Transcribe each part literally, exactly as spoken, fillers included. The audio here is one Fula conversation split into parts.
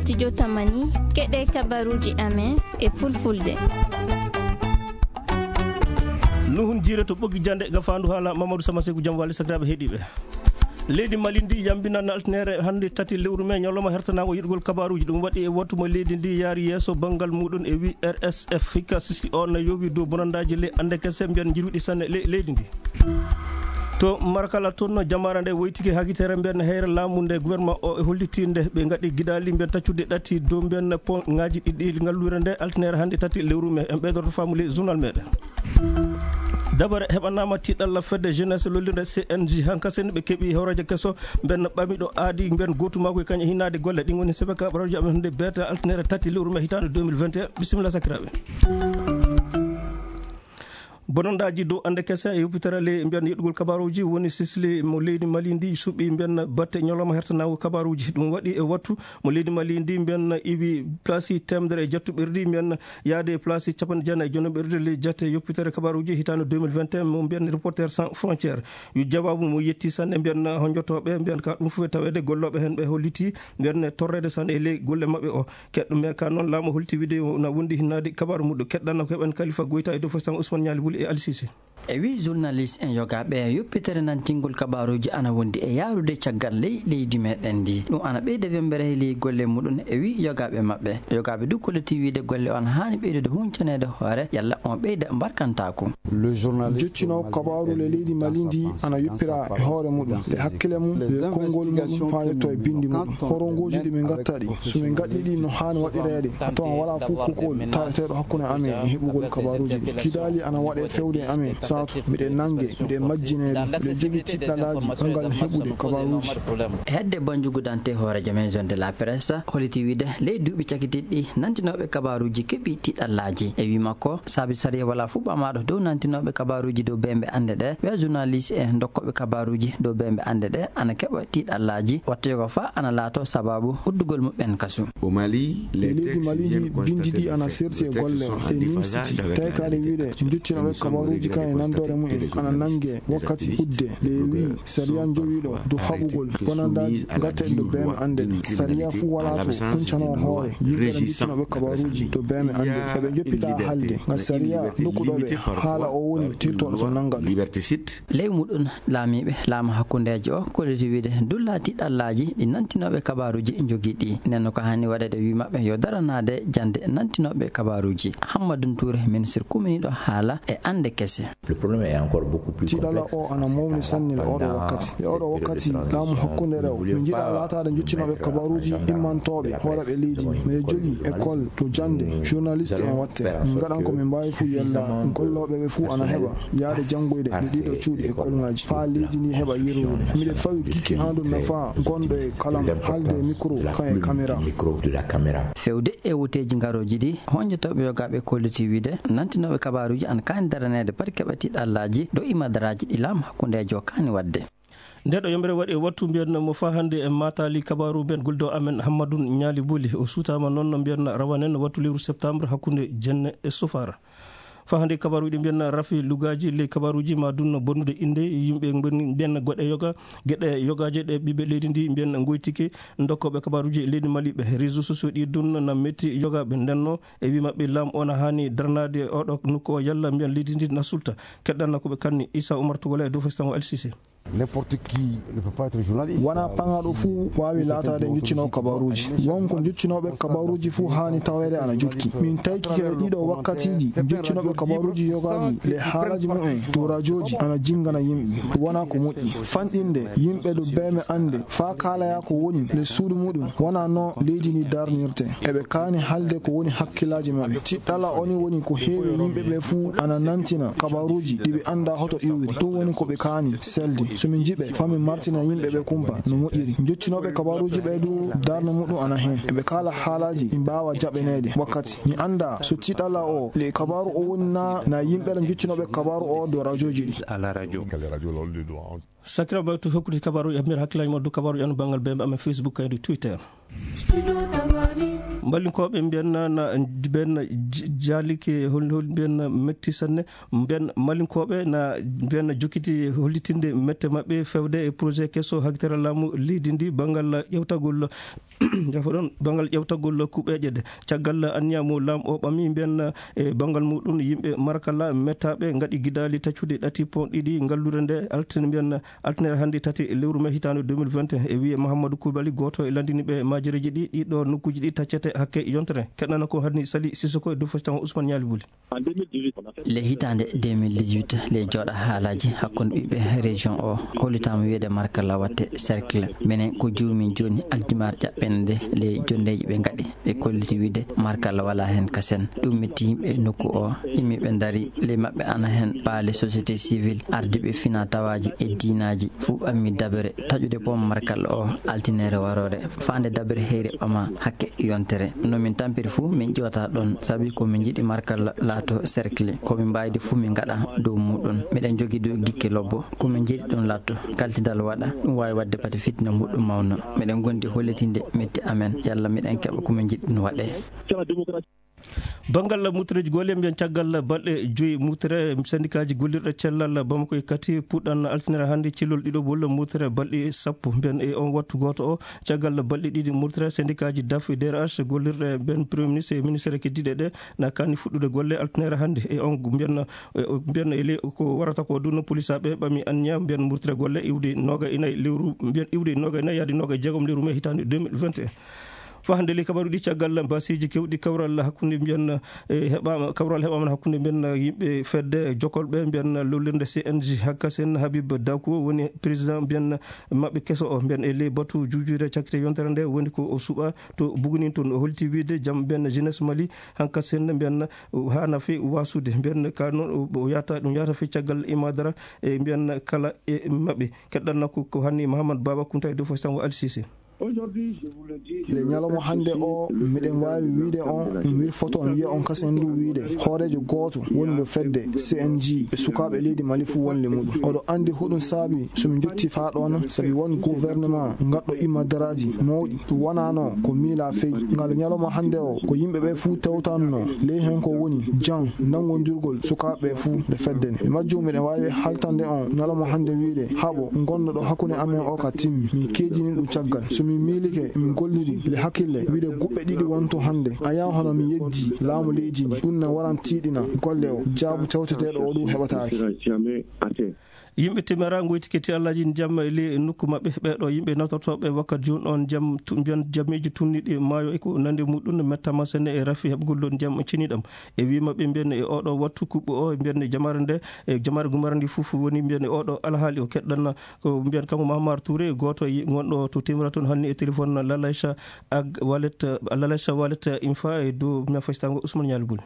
Studio Tamani, keɗe kabaruuji amen e fulfulde. Nuhun Jiire to Ɓoggi Jannde, gafaandu haala Mamadou Sama Seku, jam wali sakiraaɓe heɗiiɓe. Leydi Mali ndi yambinana altine hannde tati lewru me ñalawma hertanaango yiɗgol kabaruuji. Ɗum waɗi e wattu mo leydi ndi yaari yeeso banngal muɗum e wi R S F. Hikka sisi o na yowi dow bonandaaji le ande kese mbiyan jirwiɗi sanne le-, leydi ndi. To Marakala toon, jamaara nde woytike hakitere mbiyan heyre laamu nde gouvernement o e holliti nde ɓe ngaɗi gidaali mbiyan taccude ɗati dow mbiyan pont ngaji ɗiɗi ngallure nde altinere hannde tati lewru me. En ɓeydorto faamu ley journal meɗen. Dabare heɓanaama tiiɗalla fedde jeunesse lollirde C N J. Hankasen ɓe keɓi horeejo keso mbiyan ɓamiɗo aadi mbiyan gootu makko e kañum e hinnaade golle. Ɗin woni sebeka ɓaraji amen hannde beeta altinere tati lewru me hitaande deux mille vingt et un. Bisimilla sakiraaɓe. Bonondaaji dow ande kese e yoppitere ley mbiyan yeɗugol kabaruuji woni sisli mo leydi Mali ndi suɓi mbiyan batte ñalawma hertanaago kabaruuji. Ɗum waɗi e wattu mo leydi Mali ndi mbiyan iwi place teemedere e jettuɓerdi mbiyan yaade place capanɗe jeenayi e jonoɓerdi ley jate yoppitere kabaruuji hitaande deux mille vingt et un mo mbiyan Reporters sans frontières. Yo jawaabu mo yetti sanne mbiyan honjotooɓe mbiyan ka ɗum fof e taweede gollooɓe heen ɓe holliti mbiyan torreede sanne e ley golle maɓɓe o. Keɗɗo me ka noon laamu holti wiide na wondi hinnaade kabaaru muɗum. Keɗɗanno ko heɓen Kalifa Goyta e dow Fostan Ousmane Ñaali Wuli e Ali Sise. E wi journaliste en yogaaɓe yoppitere nantingol kabaaruuji ana wondi e yaarude caggal ley leydi meɗen ndi. Ɗum ana ɓeyda wembere e ley golle muɗum e wi yogaaɓe maɓɓe. Yogaaɓe du kolliti wiide golle on haani ɓeydude huncaneede hoore yalla on ɓeyda mbarkantaaku. Jottinoo kabaaru le leydi Mali ndi ana yoppira e hoore muɗum, e hakkile mum, e konngol muɗum, faa yetto e binndi muɗum. Horongooji ɗi min ngatta ɗi, so min ngaɗii ɗi no haani waɗireede, a tawan walaa fof kokol taweteeɗo hakkunde amen e heɓugol kabaaruuji ɗi. Gidaali ana waɗee fewde e amen, saatu miɗen nannge, miɗen majjinee ɗum, miɗen jogii tiɗɗalaaji anngal heɓude kabaaruuji. Hedde Banjugu Dante, hooreejo maison de la presse, holliti wiide ley duuɓi cakitiiɗi ɗi, nantinooɓe kabaaruuji keɓi tiɗɗallaaji. E wi makko, saabi sariya walaa fuu ɓamaaɗo dow nantinooɓe kabaaruuji dow beembe annde ɗe, ɓe journaliste en dokkooɓe kabaaruuji dow beembe annde ɗe ana keɓa tiɗɗallaaji, watta yoga faa ana laato sabaabu uddugol muɓɓen kasu. E leydi Mali ndi, binndi ɗi ana serti e golle ɗe nimsiti, tawi ka aɗa wiide jottinooɓe kabaaruuji kan e nandoore mumen ana nannge wakkati udde. Ɗe wi sariya jowiiɗo dow haɓugol bonandaaji gatten dow beembe annde ɗe. Sariya fuu walaa to huncanoo hoore yimɓe ɓe jottinooɓe kabaaruuji dow beembe annde ɗe. Eɓe njoppita haalde nga sariya nokkuɗo ɓe haala o woni tirtooɗo to nanngal. Ley muɗum, laamiiɓe laamu hakkundeejo o kolliti wiide dullaa tiɗɗallaaji ɗi nantinooɓe kabaaruuji njogii ɗi. Nden no ko haani waɗeede wi maɓɓe yo daranaade jannde nantinooɓe kabaaruuji. Hammadun Tuure, ministre kuminiiɗo haala e annde kese. Tiɗalla o ana mawni sanne le oɗo wakkati. Le oɗo wakkati laamu hakkunde rew. Min njiɗa laataade jottinooɓe kabaaruuji immantooɓe hooreeɓe leydi ndi. Miɗen jogii école to jannde journaliste en watte. Min ngaɗan ko min mbaawi fuu yalla gollooɓe ɓe fuu ana heɓa yaade janngoyde e ɗiɗo cuuɗi e kolŋaaji faa leydi ndi heɓa yirwude. Miɗen fawi kiki andu nafa gonɗo e kalam haalde e micro kan e caméra. Fewde e wuteeji ngarooji ɗi, honjotooɓe yogaaɓe kolliti wiide nantinooɓe kabaaruuji ana kaani daraneede pati keɓa tiɗɗallaaji dow imadaraaji ɗi laamu hakkundeejo kaani waɗde. Nde ɗo yombere waɗi e wattu mbiyan mo faa hannde e maataali kabaaru mbiyan guldo amen Hammadun Ñaali Buli. O suutaama noon no mbiyan rawanen wattu lewru septembre hakkunde jenne e sufaara. Faa hannde kabaaruuji ɗi mbiyan rafi lugaaji ley kabaaruuji ma dunno bonnude innde yimɓe mbiyan goɗe yoga, geɗe yogaaje ɗe ɓiɓɓe leydi ndi mbiyan ngoytike dokkooɓe kabaaruuji leydi Mali ɓe. Réseaux sociaux ɗi dunno na metti yogaaɓe ndenno e wi maɓɓe laamu o na haani daranaade oɗo nokku o yalla mbiyan leydi ndi na sulta. Keɗɗanna ko ɓe kanni Issa Oumar Togola e dow Festango Al Sisi. N'importe qui ne peut pas être journaliste. Wonaa paŋaaɗo fuu waawi laataade jottinoowo kabaaruuji. Won ko jottinooɓe kabaaruuji fuu haani taweede ana jokki. Min tawki he ɗiɗo wakkatiiji jottinooɓe kabaaruuji yogaaji le haalaaji mumen dow rajooji ana jinngana yimɓe. Wonaa ko moƴƴi. Fanɗinde yimɓe dow beeme annde faa kaalaya ko woni le suudu muɗum. Wonaa no leydi ndi darnirte. Eɓe kaani haalde ko woni hakkillaaji maɓɓe. Tiɗɗalla o ni woni ko heewi e yimɓe ɓe fuu ana nantina kabaaruuji ɗi ɓe anndaa hoto iwri. Ɗum woni ko ɓe kaani selde. So min njiɓe, faa min martina yimɓe ɓe kumpa no moƴƴiri. Jottinooɓe kabaaruuji ɓe du darnde muɗum ana heen. Eɓe kaala haalaaji ɗi mbaawa jaɓaneede wakkati. Mi anndaa so tiɗɗalla o le kabaaru o woni naa, naa yimɓe ɓe jottinooɓe kabaaru o dow rajooji ɗi. Sakiraaɓe, to hokkude kabaaruuji, e nder hakkillaaji mon dow kabaaruuji an banngal beembe amen Facebook kaydi Twitter. Mballinkooɓe mbiyan na, na, mbiyan na, j-, Jaalike hol, hol mbiyen metti sanne. Mbiyen Malinkooɓe na mbiyen jokkiti hollitinde mette maɓɓe fewde e projet keso hakkitara laamu leydi ndi banngal ƴewtagol, jafo ɗon, banngal ƴewtagol kuɓeeje ɗe. Caggal anniya mo laamu o ɓami mbiyen e banngal muɗum yimɓe Marakala mettaaɓe ngaɗi gidaali taccude ɗati pon ɗiɗi ngalluure nde altine mbiyen Altine hannde tati lewru mai hitaande deux mille vingt et un, e wiye Mahamadou Koulibaly, gooto e lanndiniiɓe maajereeji ɗi, ɗiɗo nokkuuji ɗi taccete hakke yontere. Keɗɗana ko hanni Sali Sissoko e dow fasitan Ousmane Ñaali Buli. Le hitaande deux mille dix-huit, le jooɗa haalaaji hakkunde ɓiɓɓe région o hollitaama wiyeede Markalla watte cercle. Minen ko juurmin jooni aldimaar ƴaɓɓende nde le jondeeji ɓe ngaɗi. Ɓe kolliti wiide Markalla wala heen kasen. Ɗum metti yimɓe nokku o. Immi ɓe ndari, ley maɓɓe ana heen paale société civile, ardiiɓe fina tawaaji e diinaaji, fuu ɓammi dabere taƴude pom Markalla o, altinere waroore, faande dabere heyre ɓama hakke yontere. No min tampiri fuu, min ƴiwata ɗon, sabi ko min njiɗi Markalla laato cercle. Ko min mbaydi fuu, min ngaɗa dow muɗum. Miɗen jogi dow gikke lobbo, ko min njiɗi ɗum laatto, kaltidal waɗa, ɗum waawi waɗde pati fitina muɗum mawna. Miɗen gondi hollitinde metti amen, yalla miɗen keɓa ko min njiɗi ɗum waɗe. Banngal muttereeji golle mbiyen caggal balɗe joyi muttere sendikaaji gollirɗe cellal Bamako e Kati puɗɗan altinere hannde cellol ɗiɗo walla muttere balɗe sappo mbiyen e on wattu gooto o. Caggal balɗe ɗiɗi muttere sendikaaji daf e D R H gollirɗe mbiyen Premier Ministre e ministère keddiɗe ɗe na kani fuɗɗude golle altinere hannde e on mbiyen, e, mbiyen e ley ko warata ko ɗum no polisaaɓe ɓami anniya mbiyen muttere golle iwde noga e nayi lewru mbiyen iwde noga e nayi yaade noga e jeegom lewru mai hitaande deux mille vingt et un. Fahde ley kabaruɗi caggal basiiji kewɗi kawral hakkunde mbiyen, e, heɓaama, kawral heɓaama hakkunde mbiyen yimɓe fedde jokolɓe mbiyen lollirde C N G hakkasen Habib Dako woni président mbiyen maɓɓe keso o mbiyen e ley batu juujuure cakkite yontere nde woni ko o suɓa to Bugunin toon o holti wiide jam mbiyen jeunesse Mali hankasen mbiyen hana fe wasude mbiyen ka noon o yata ɗum yata fe caggal imadara e mbiyen kala e maɓɓe keɗɗanna ko ko hanni Mahamad Baba Kunta e dow fo sango Alsise. Nde ñalawma hannde o, miɗen waawi wiyde on, mi wirfoto on, wiya on kasen ndu wiyde hooreejo gooto woni ɗo fedde C N G e sukaaɓe leydi Mali fuu wonde muɗum. Oɗo anndi hoɗum saabi so mi njotti faa ɗoon, sabi won gouvernement ngaɗɗo imadaraaji mawɗi. Ɗum wonaano ko miila fey. Ngal ñalawma hannde o, ko yimɓe ɓe fuu tawtanno ley heen ko woni jam, nanngondirgol sukaaɓe ɓe fuu nde fedde nde. Mi majjum miɗen waawi haltande on ñalawma hannde wiyde haɓo ngonɗo ɗo hakkunde amen o ka timmi. Mi keedini ɗum caggal. So mi miilike, mi golliri le hakkille wiyde guɓɓe ɗiɗi wonto hannde. A yaw hono mi yejji laamu leydi ndi. Ɗum na waran tiiɗina golle o. Jaabu tawteteeɗo o ɗum heɓataake. Yimɓe temera ngoyti ketti Allaaji ndiyam e ley nokku maɓɓe. Ɓeeɗo yimɓe nawtortooɓe wakkat jooni on ndiyam tu-, mbiyan jamiiji tunniiɗi maayo e ko nanndi muɗum mettama sene e rafi heɓgol ɗon ndiyam ceniɗam. E wii maɓɓe mbiyan e oɗo wattu kuɓɓo o mbiyan e jamaare nde, e jamaare gumara ndi fof woni mbiyan e oɗo alhaali o keɗɗanna ko mbiyan kanko Mahamar Touré, gooto e ngonɗo to temera toon hanni e téléphone Lalacha ak Wallet, Lalacha Wallet Infa e dow men fasitango Ousmane Ñaali Buli.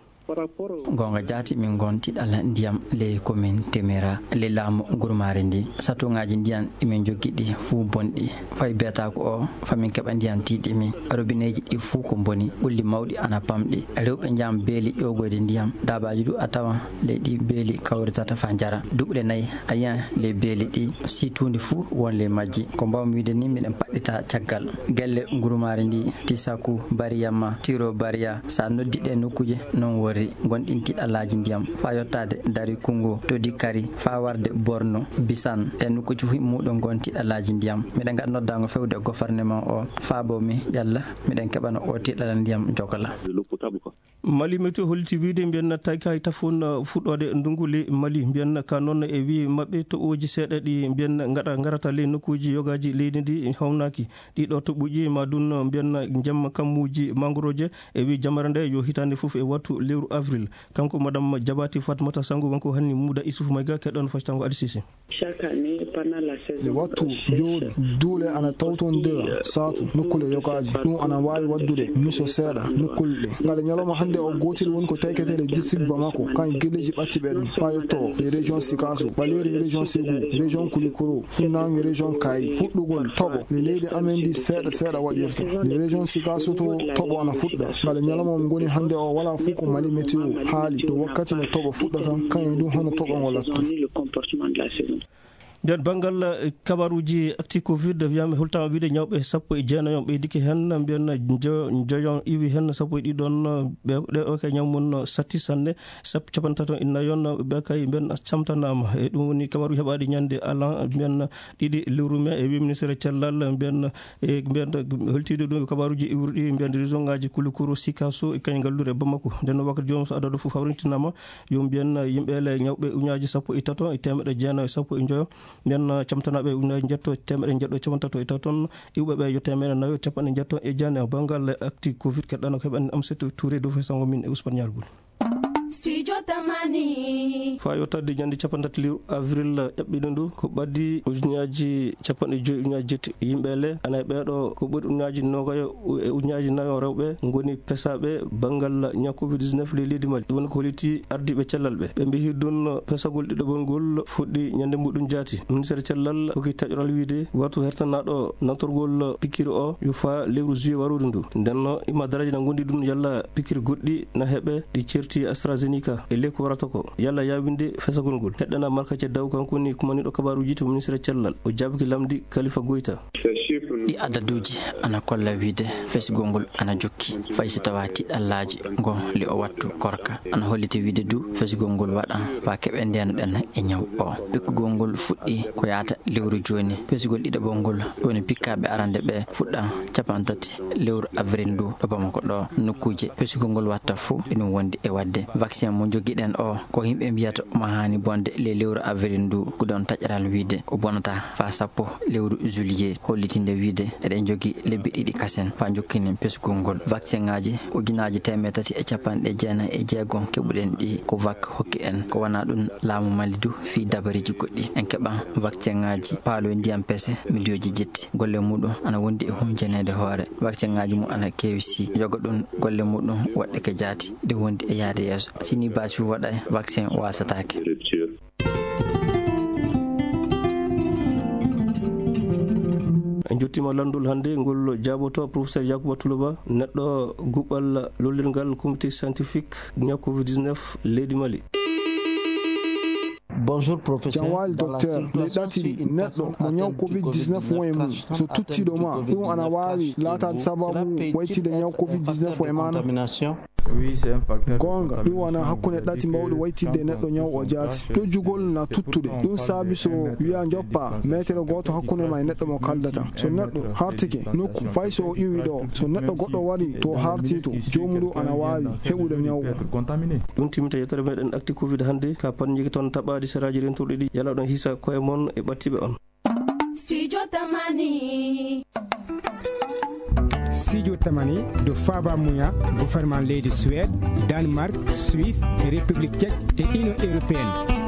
Goonga jaati, min ngon tiɗal ndiyam ley commune Temera, ley laamu gurmaare ndi. Satuŋaaji ndiyam ɗi min njoggi ɗi fuu bonɗi. Fay beetaaku o, fa min keɓa ndiyam tiiɗi min. Robineeji ɗi fuu ko mboni, ɓulli mawɗi ana pamɗi. Rewɓe njiyam beeli ƴoogoyde ndiyam. Daabaaji du a tawan ley ɗi beeli kawritata faa njara. Duɓle nayi a yiyan ley beeli ɗi, sii tuundi fuu won ley majji. Ko mbaawmi wiide ni, miɗen paɗɗita caggal. Gelle ngurumaari ndi, Tisaku, Bariyamma, Tiro Bariya, so a noddi ɗee nokkuuje, noon worri, ngonɗin tiɗalaaji ndiyam, faa yottaade Dari Kunngo, Todi Kari, faa warde Borno, Bisan. Ɗee nokkuuje fof muɗum ngon tiɗalaaji ndiyam. Miɗen ngaɗa noddaango fewde e gofarneman o, faabo mi, yalla miɗen keɓana oo tiɗalal ndiyam Jogola. Mali Météo holliti wiide mbiyen tawi kay tafon, uh, fuɗɗoode ndunngu ley Mali. Mbiyen ka noon e wii maɓɓe toɓooji seeɗa ɗi mbiyen ngaɗa ngarata ley nokkuuji yogaaji leydi ndi hawnaaki. Ɗiɗo toɓooji ma ɗum mbiyen jemma kammuuji mangorooje e wii jamare nde yo hitaande fof e wattu lewru avril. Kanko madame Jabaati Fatmata Sango wonko hanni Muuda Isufu Mayga keɗon fasitango Adi Sise. Nde wattu joori, duule ana tawtondira saatu nokkuule yogaaji. Ɗum ana waawi waɗdude miso seeɗa nokkuule ɗe. Ngale ñalawma hannde o gootel woni ko tayketee le district Bamako, kan e gelleeji ɓattiiɓe ɗum, faa yottoo le région Sikaso, Ɓaleeri région Ségou, région Koulikoro, Funnaange région Kayi. Fuɗɗugol toɓo le leydi amen ndi seeɗa seeɗa waɗirta. Le région Sikaso to toɓo ana fuɗɗa. Ngale ñalawma mo ngoni hannde o walaa fof ko Mali Météo haali to wakkati no toɓo fuɗɗata, kan e ɗum hono toɓo ngo lattu. Nder banngal, eh, kabaruuji actu covid, wiyaama hultaama wiide ñawɓe sappo e jeenayon ɓeydike heen, mbiyen njo-, njoyon iwi heen, sappo e ɗiɗon, eh, ɓe, ɗe o ke ñaw mum satti sanne, sap-, capanɗe tato e nayon, ɓe kay mbiyen camtanaama. E ɗum woni kabaruuji heɓaaɗi ñande alan, mbiyen ɗiɗi lewru mee, e wiya ministre cellal, mbiyen, e mbiyen holtiiɗo ɗum kabaruuji iwruɗi, mbiyen région ŋaaji Kulukuru, Sikaso, e kañ ngalluure Bamako. Nden noon wakkati joomum so adado fof hawrintinaama, yo mbiyen yimɓe le ñawɓe uñaaji sappo e tato e teemeɗe jeenayo e sappo e njoyo, mbiyen camtanaaɓe uñaaji njetto e teemeɗe njeɗɗo e capanɗe tato e tato ton, iwɓe ɓe yo teemeɗe nayo e capanɗe njeɗɗo e jeenayo. Banngal actu covid keɗɗano ko heɓani Amsatou Touré dow fo sango min e Ousmane Nialboul. Studio Tamani. Faa yottade ñande capanɗe tati lewru avril eɓɓiɗo ndu, ko ɓaddi ujunnaaji capanɗe joyi ujunnaaji jetti yimɓe le, ana e ɓeeɗo ko ɓuri ujunnaaji noogayo e ujunnaaji nayo rewɓe ngoni pesaaɓe banngal ñaw covid dix-neuf ley leydi Mali. Ɗum woni ko holliti ardiiɓe cellal ɓe. Ɓe mbiyi ɗum pesagol ɗiɗaɓol ngol fuɗɗi ñande muɗum jaati. Ministeer cellal hokki taƴoral wiide watu hertanaaɗo nantorgol pikiir o yo faa lewru juillet warooru ndu. Nden no ima daraaji na ngondi ɗum yalla pikiir goɗɗi na heɓe ɗi certi AstraZeneca e ley ko warata ko yalla yaawinde fesagol ngol. Heɗɗana Marka Ceddaw, kanko woni kumaniiɗo kabaruuji to ministeer cellal. O jaabiki lamndi Kalifa Goyta. Ɗi adaduuji ana kolla wiide fesgol ngol ana jokki, fay so tawaa tiɗallaaji ngo li o wattu korka. Ana holliti wiide du fesgol ngol waɗa faa keɓe ndeenuɗen e ñaw o. Pikkugol ngol fuɗɗi ko yaata lewru jooni. Pesugol ɗiɗaɓol ngol, ɗo woni pikkaaɓe arande ɓe fuɗɗa capanɗe tati lewru avril ndu ɗo Bamako ɗo. Nokkuuje pesugol ngol watta fof eɗum wondi e waɗde. Vaccin mo njogiɗen o, ko yimɓe mbiyata omo haani bonde ley lewru avril ndu, ko ɗon taƴaral wiide ko bonata faa sappo lewru juillet, hollitinde wiide eɗen njogii lebbi ɗiɗi kasen faa njokkinen pesugol ngol. Vaccin ŋaaji ujunaaji teemeɗe tati e capanɗe jeenayi e jeego keɓuɗen ɗi ko vak hokki en, ko wonaa ɗum laamu Mali du fii dabariiji goɗɗi. En keɓa vaccin ŋaaji paaloy ndiyam pese miliyooji jetti. Golle muɗum ana wondi e hunjaneede hoore. Vaccin ŋaaji mum ana keewi si yoga ɗum golle muɗum woɗɗe ke jaati ɗe wondi e yaade yeeso. Si ni baasi waɗay, vaccin waasataake. En njottiima lanndol hannde ngol jaaboto professeur Yacouba Toulouba, neɗɗo guɓɓal lollirgal comité scientifique ñaw covid dix-neuf leydi Mali. Bonjour, professeur. Jam waali, docteur. Ley ɗaati ɗi, neɗɗo mo ñaw covid dix-neuf won e mum, so tuttiiɗo ma, ɗum ana waawi laataade sababu waytinde ñaw covid dix-neuf o e maana? Goonga, ɗum wona hakkunde ɗaati mawɗi waytidde e neɗɗo ñaw o jaati. Ɗojjugol na tuttude. Ɗum saabi so wiyaa njoppaa meetere gooto hakkunde ma e neɗɗo mo kaldata. So neɗɗo hartike nokku, fay so o iwii ɗo, so neɗɗo goɗɗo warii to o hartii to, joomum ɗum ana waawi heɓude ñaw o. Ɗum timminta yewtere meɗen Actu Covid hannde. Ka pannuji toon taɓaaɗi seraaji rentorɗi ɗi, yalla oɗon hisa koye mon e ɓattiiɓe on. Studio Tamani. Studio Tamani, ɗo faaba muya gouvernement leydi Suède, Danemark, Suisse, République Tchèque e Union Européenne.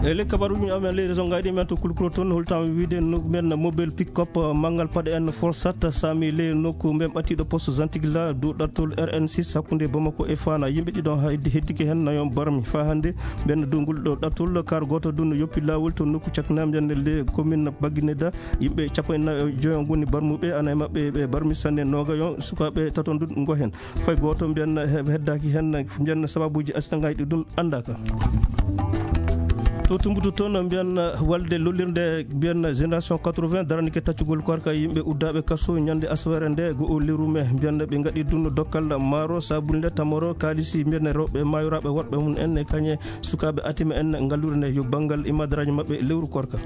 E ley kabaruuji amen ley région ngaji men to Kulkuro toon, holtaama wiide no men mobile pick-up, eh, manngal paɗe en Forsat saami ley nokku men ɓattiiɗo poste Zantigla dow ɗattol R N six hakkunde Bamako e Fana. Yimɓe ɗiɗon ha heddi, heddike heen nayon barmi. Faa hannde ɓen dow ngol ɗo ɗattol, kaar gooto ɗum no yoppi laawol to nokku caknaa mbiyen le commune Bagineda. Yimɓe cappanɗe joyo ngoni barmuɓe, ana e maɓɓe ɓe barmi sanne noogayon, sukaaɓe taton ɗum ngo heen. Fay gooto mbiyen he-, heddaaki heen, mbiyen sababuuji accident ngaji ɗi ɗum anndaaka. To Tumbutu toon mbiyen walde lollirde mbiyen Génération quatre-vingts daranike taccugol korka yimɓe uddaaɓe kaso ñande asawere nde go o lewru mee. Mbiyen ɓe ngaɗi ɗum dokkal maaro, sabunde, tamoro, kaalisi, mbiyen rewɓe maayoraaɓe worɓe mum en e kañe sukaaɓe atima en ngallure nde yo banngal imadaraaji maɓɓe lewru korka.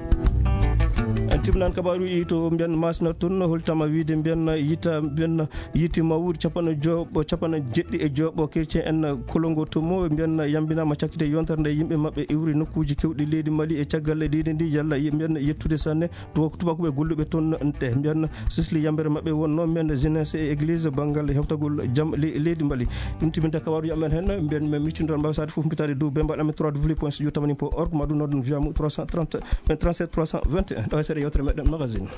En timnan kabaaruuji to mbiyen Masina toon, holtama wiide mbiyen yita, mbiyen yiiti mawri capanɗe jowo, capanɗe jeɗɗi e jowo chrétien en Kolongo Tomo, mbiyen yambinaama cakkite yontere nde yimɓe maɓɓe iwri nokkuuji keewɗi leydi Mali e caggal leydi ndi, yalla ye-, mbiyen yettude sanne to tubaakuɓe golluɓe toon ɗe, mbiyen sisli yambere maɓɓe wonno mbiyen jeunesse e église banngal hewtagol jam le-, leydi Mali. Ɗum timinta kabaaruuji amen heen, mbiyen men miccindon mbaaw saade fof mbitaade dow bembaɗo amen trois W point studio tamani point org, ma ɗum noon via mo trois cent trente, trente-sept trois cent vingt et un, ɗo e seeɗa yewtere meɗen magazine.